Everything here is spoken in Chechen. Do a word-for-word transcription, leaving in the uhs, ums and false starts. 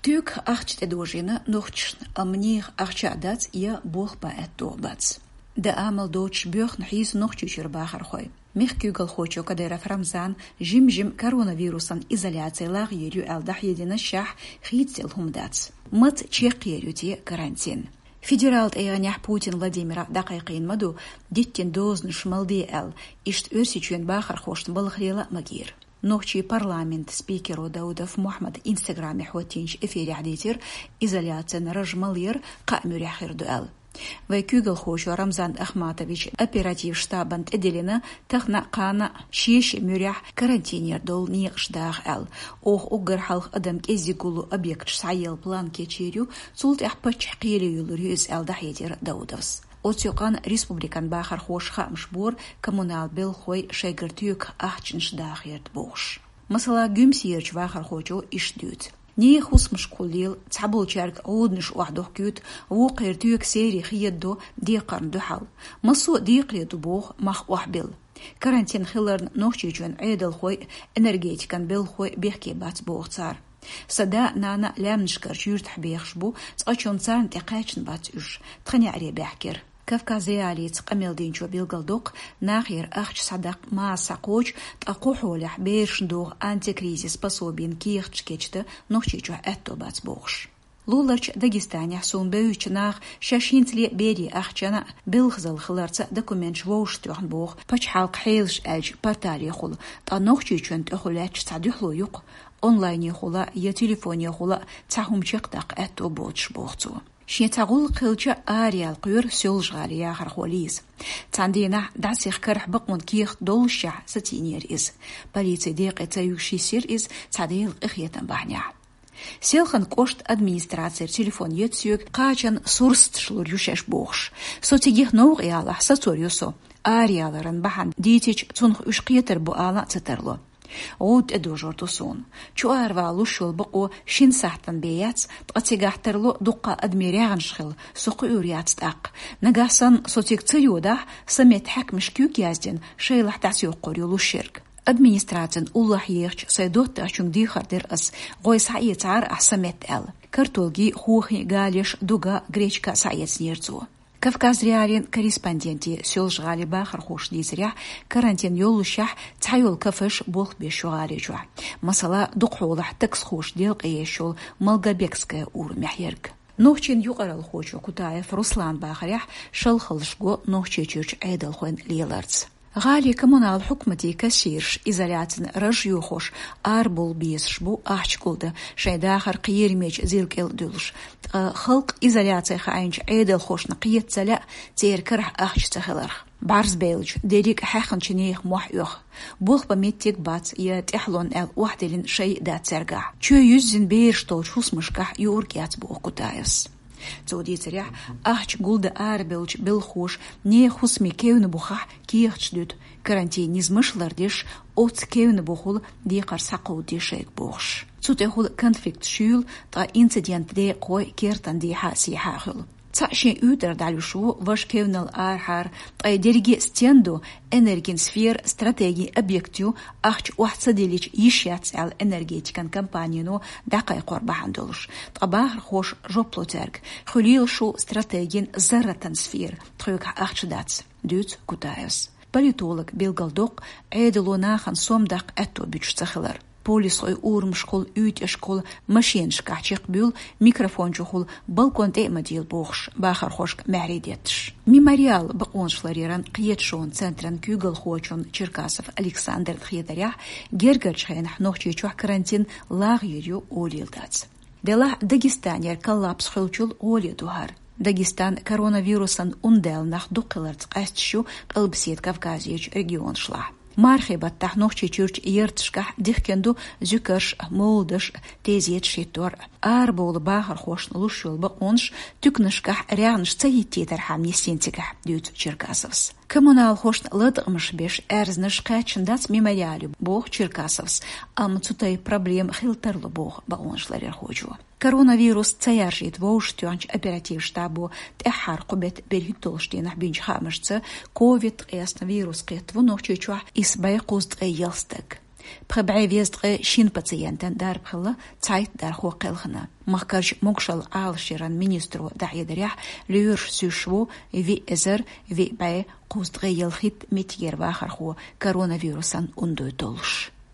Туька ахча тӀедожийна нохчашна, амма нехан ахча а дац, я болх бан аьтто а бац. Дан амал доцуш боьхна хьийза Нохчийчуьра бахархой. Мехкан куьйгалхочо Кадыров Рамзана жим-жима коронавирусан изоляци лагӀйийр ю аьлла дӀахьедина, шаьш хийцаделла хӀума дац. Маца чекхъер ю те карантин? Федералан тӀегӀанехь Путин Владимира дӀакхайкхийна ма ду, диттина дозанаш мала де аьлла, иштта Оьрсийчоьнан бахархошна балха лела а магийра. Нохчийн парламентан спикеро Даудов Мухьаммада Instagram-ехь хӀоттийначу эфирехь дийцира, изоляцин раж мала яр кхаа муьрехь хир ду аьлла. Вайн куьйгалхочо Рамзан Ахматовича оперативан штабана тӀедиллина, тахана а, кхана а шен-шен муьрехь карантинера долу некъаш даха аьлла. Оха уггар хьалха адам кӀеззиг гуллу объекташ схьаелла план кечйийр ю, цул тӀаьхьа паччахьан кхеле йиллар ю иза аьлла дӀахьедира Даудовс. Оцу юкъана республикан бахархоша хаамаш бора, коммуналан белхалой шайгара туька ахчанаш даха гӀерта бохуш. Масала, Гуьмсерачу вахархочо иштта дуьйцу. Нехан хӀусамашкахула лела, цхьаболчаьрга гӀуданаш охьадохкуьйту, вукхеран туька серий хедадо декхарна дуьхьал. Массо а декхаре ду боху мах охьабилла. Карантин хиларна, Нохчийчоьнан Ӏедалхой а, энергетикан белхалой а бехке бац боху цара. Сан да а, нана а лаьмнашкарчу юьртахь бехаш бу, цкъачунна царна тӀе кхаьчна бац уьш, тхан неӀаре баьхкира. Кавказ.Реалиица къамел динчо билгалдоккху, нахера ахча схьадаккха маса схьакхочу, ткъа кху хьолехь берашна догӀу антикризис пособин кехаташ кечдан Нохчийчохь аьтто бац бохуш. Луларчу Дагестанехь суна бевзачу наха шаьш хӀинцале а берийн ахчана а, белхазалла хиларца а документаш вовшахтоьхна боху, пачхьалкхан хьелаш аьллачу порталехула, ткъа Нохчийчоьнан тӀехула лаьтташ цхьа дуьхьало ю-кх, онлайнехула я телефонехула а цхьа хӀума чекхдаккха аьтто боцуш, боху цо. Шен цхьа гӀуллакх хилча, араяла кхоьру Соьлжа-ГӀалин яхархо Лиза. Цхьана дийнахь дӀасаеха карахь бакъонан кехат доллушехь сацийнера иза. Полицин декъе ца юьгуш йисира иза цхьа Делан къинхетам бахьанехь. Селхана кӀоштан администрацера телефон йоьду соьга, кхачанна сурсаташ лур ю шаьш бохуш. Со цига новкъа ялахь, сацор ю со. Араяларан бахьана дийцича, цунах уьш кхетар бу ала а ца тарло. ГӀуда тӀедожор ду суна. Чу аравала луш йолу бакъо шина сахьтана бен яц, ткъа цигахь тарло дуккха а адамийн рагӀнаш хила, со кхуьур яц тӀаккха. Нагахь санна со цига ца йодахь, сан метта хьаькамаша куьг яздина, шайлахь дӀасаёккхур ю луш ерг. Администрацин уллохь ехачу сайн доттагӀчуьнга дехар дира ас, гӀой схьаэцахьара ахь сан метта аьлла. Картолгий, хохий, галеш, дуга, гречка схьаэцнера цо. Кавказ.Реалин корреспонденте Соьлжа-ГӀалин бахархоша дийцарехь, карантин йоллушехь, цхьайолу кафеш болх беш ю гӀали чохь. Масала, дукха хьолахь таксхоша делкъе еш йолу Малгобекская урамехь ерг. Нохчийн юкъаралхочо Кутаев Руслана бахарехь, шалхаллаш го Нохчийчуьрчу Ӏедалхойн леларца. ГӀалин коммуналан хьукматийн кассираш изоляцин раж йохош арабовла безаш бу ахча гулдан, шайн дахар кхерамечу зил кӀел а дуьллуш. Ткъа халкъ изоляци хаийначу Ӏедалхошна кхета ца лаьа церан карахь ахча ца хиларх. БӀарзбевллачу дерриг а хьаьхначу нехан мохь оьху. Болх бан меттиг бац я тӀаьхьалонна аьлла охьадиллина шай а дац цаьргахь. Чоь юьззина бераш долчу хӀусамашкахь юург яц боху Кутаевс. Цо дийцарехь, ахча гулдан арабевллачу белхахоша нехан хӀусамийн кевнна бухахь кехаташ дуьту, карантин низамаш лардеш, оццу кевнна бухахула декхар схьакховдаде шайга бохуш. Цу тӀехула конфликт шуьйла, ткъа инцидент декъахой кертан дехьа-сехьа а хуьлу. Цхьаъ шен уьйтӀара дӀалуьйш ву важа кевналла арахьара, ткъа и дерриге а стен ду, энергин сфера стратегин объект ю, ахча охьа ца диллича йиш яц аьлла энергетикан компанино дӀакхайкхор бахьана долуш. Ткъа бахархоша жоп ло цаьрга: хуьлийла шу стратегин зарратан сфера, тхоьгахь ахча дац, дуьйцу Кутаевс. Политолога билгалдоккху Ӏедало нахана сом даккха аьтто буьтуш ца хилар. Полисхой урамашкахула, уьйтӀашкахула, машенашкахь чекхбуьйлу, микрофон чухула, балкон тӀе а ма дийла бохуш, бахархошка маьхьарий детташ. Мемориал бакъонаш ларъяран кхеташонан центран куьйгалхочун Черкасов Александран хетарехь, гергарчу хенахь Нохчийчохь карантин лагӀйийр ю олийла дац. Делахь Дагестанера коллапс хуьлучул гӀоле ду хӀара. Дагестан коронавирусан ун даьлла нах дукха хиларца къаьсташ ю Къилбаседа Кавказерчу регионашлахь. Мархийн баттахь Нохчийчуьрчу ярташкахь дихкина ду зуькарш а, мовладаш а, тезеташ хӀиттор а. Арабовла бахархошна луш йолу бакъонаш туьканашкахь рагӀнаш ца хӀиттийтархьама нисйина цигахь, дуьйцу Черкасовс. Коммуналхошна латкъамаш беш аьрзнаш кхаьчна дац Мемориале, боху Черкасовс, амма цу тайпа проблема хила тарло, боху бакъонаш ларъярхочо. Коронавирус ца яржийта вовшахтоьхначу оперативан штабо тӀаьххьара кху беттан берхӀитталгӀачу долчу дийнахь бинчу хаамашца, ковид ткъаесна вирус кхетта ву Нохчийчохь исс бӀе кхузткъе ялх стаг. Пхи бӀаь везткъе шин пациентан дарба хилла цхьайтта дархо кхелхина. Махкарча могашалла Ӏалашъяран министро дӀахьедарехь, лоьраш суьйш ву виъ эзар виъ бӀаь кхузткъе ялхитта меттигера вахархо коронавирусан унда долуш.